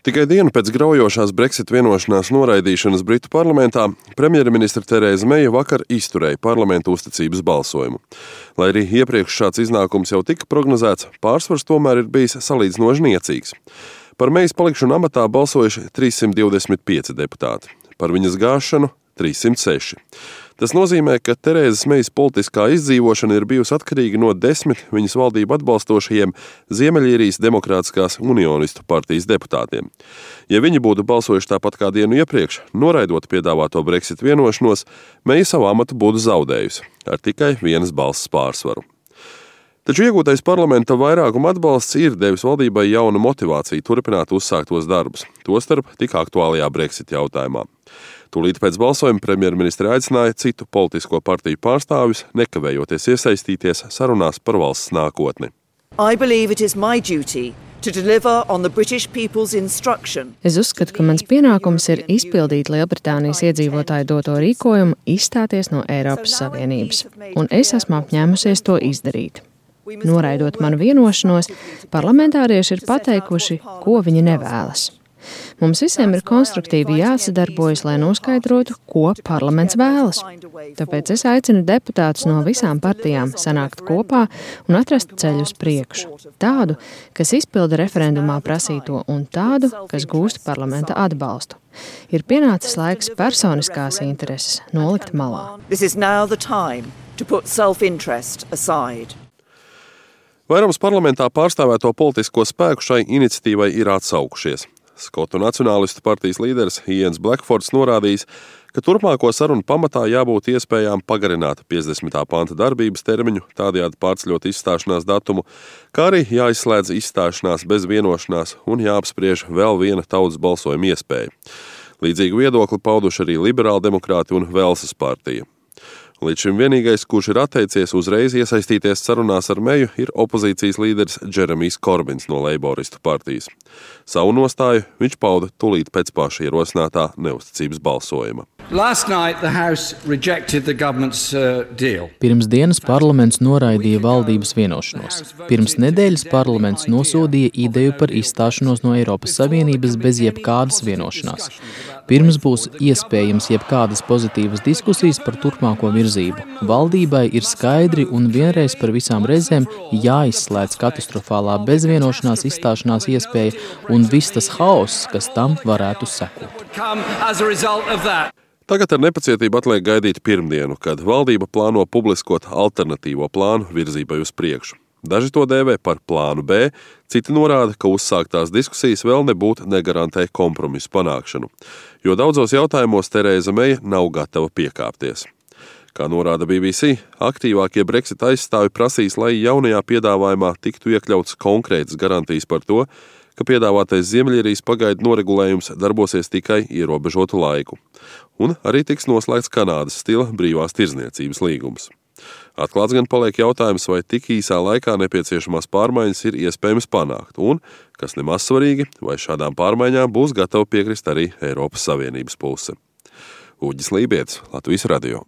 Tikai dienu pēc graujošās Brexit vienošanās noraidīšanas Britu parlamentā premjerministre Terēza Meija vakar izturēja parlamentu uzticības balsojumu. Lai arī iepriekš šāds iznākums jau tika prognozēts, pārsvars tomēr ir bijis salīdzinoši niecīgs. Par Meijas palikšanu amatā balsojuši 325 deputāti, par viņas gāšanu 306. Tas nozīmē, ka Terēzas Meijas politiskā izdzīvošana ir bijusi atkarīga no 10 viņas valdību atbalstošajiem Ziemeļīrijas Demokrātiskās unionistu partijas deputātiem. Ja viņi būtu balsojuši tāpat kā dienu iepriekš, noraidot piedāvāto Brexit vienošanos, Meija savu amatu būtu zaudējusi ar tikai vienas balss pārsvaru. Taču iegūtais parlamenta vairākuma atbalsts ir devis valdībai jaunu motivāciju turpināt uzsāktos darbus, tostarp tik aktuālajā Brexit jautājumā. Tūlīt pēc balsojuma premjerministre aicināja citu politisko partiju pārstāvjus nekavējoties iesaistīties sarunās par valsts nākotni. Es uzskatu, ka mans pienākums ir izpildīt Lielbritānijas iedzīvotāju doto rīkojumu izstāties no Eiropas Savienības, un es esmu apņēmusies to izdarīt. Noraidot manu vienošanos, parlamentārieši ir pateikuši, ko viņi nevēlas. Mums visiem ir konstruktīvi jāsadarbojas, lai noskaidrotu, ko parlaments vēlas. Tāpēc es aicinu deputātus no visām partijām sanākt kopā un atrast ceļu uz priekšu. Tādu, kas izpilda referendumā prasīto, un tādu, kas gūst parlamenta atbalstu. Ir pienācis laiks personiskās intereses nolikt malā. Vairums parlamentā pārstāvēto politisko spēku šai iniciatīvai ir atsaukušies. Skotu nacionālistu partijas līderis Ians Blackfords norādījis, ka turpmāko sarunu pamatā jābūt iespējām pagarināt 50. panta darbības termiņu, tādējādi pārceļot izstāšanās datumu, kā arī jāizslēdz izstāšanās bez vienošanās un jāapspriež vēl viena tautas balsojuma iespēja. Līdzīgu viedokli pauduši arī liberāldemokrāti un Velsas partija. Līdz šim vienīgais, kurš ir atteicies uzreiz iesaistīties sarunās ar Meiju, ir opozīcijas līderis Džeremijs Korbins no Leiboristu partijas. Savu nostāju viņš pauda tūlīt pēc paša ierosinātā neusticības balsojuma. Pirms dienas parlaments noraidīja valdības vienošanos. Pirms nedēļas parlaments nosodīja ideju par izstāšanos no Eiropas Savienības bez jebkādas vienošanās. Pirms būs iespējams jebkādas pozitīvas diskusijas par turpmāko virzību. Valdībai ir skaidri un vienreiz par visām reizēm jāizslēdz katastrofālā bezvienošanās izstāšanās iespēja un viss tas haoss, kas tam varētu sekot. Tagad ar nepacietību atliek gaidīt pirmdienu, kad valdība plāno publiskot alternatīvo plānu virzībai uz priekšu. Daži to dēvē par plānu B, citi norāda, ka uzsāktās diskusijas vēl nebūtu negarantē kompromisu panākšanu, jo daudzos jautājumos Terēza Meija nav gatava piekāpties. Kā norāda BBC, aktīvākie Brexit aizstāvi prasīs, lai jaunajā piedāvājumā tiktu iekļauts konkrētas garantijas par to, ka piedāvātais Ziemeļīrijas pagaidu noregulējums darbosies tikai ierobežotu laiku, un arī tiks noslēgts Kanādas stila brīvās tirdzniecības līgums. Atklāts gan paliek jautājums, vai tik īsā laikā nepieciešamās pārmaiņas ir iespējams panākt, un, kas nemaz svarīgi, vai šādām pārmaiņām būs gatava piekrist arī Eiropas Savienības puse. Uģis Lībietis, Latvijas radio.